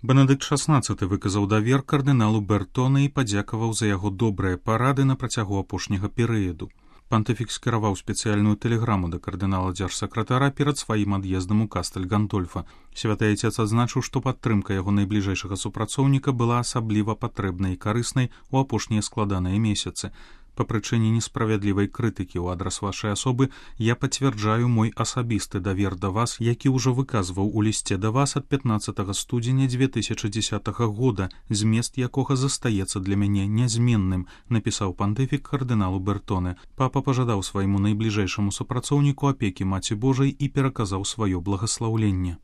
Бенедыкт XVI выказаў давер кардыналу Бертоне і падзякаваў за яго добрыя парады на працягу апошняга перыяду. Пантыфік скіраваў спецыяльную тэлеграму да кардынала дзяржсакратара перад сваім ад'ездам у Кастэль Гандольфа. Святы Айцец адзначыў, што падтрымка яго найбліжэйшага супрацоўніка была асабліва патрэбнай і карыснай у апошнія складаныя месяцы. Па прычыне несправядлівай крытыкі ў адрас вашай асобы я пацвярджаю мой асабісты давер да вас, які ўжо выказваў у лісце да вас ад 15 студзеня 2010 года, змест якога застаецца для мяне нязменным, напісаў пантыфік кардыналу Бертоне. Папа пажадаў свайму найбліжэйшаму супрацоўніку апекі Маці Божай і пераказаў сваё благаслаўленне.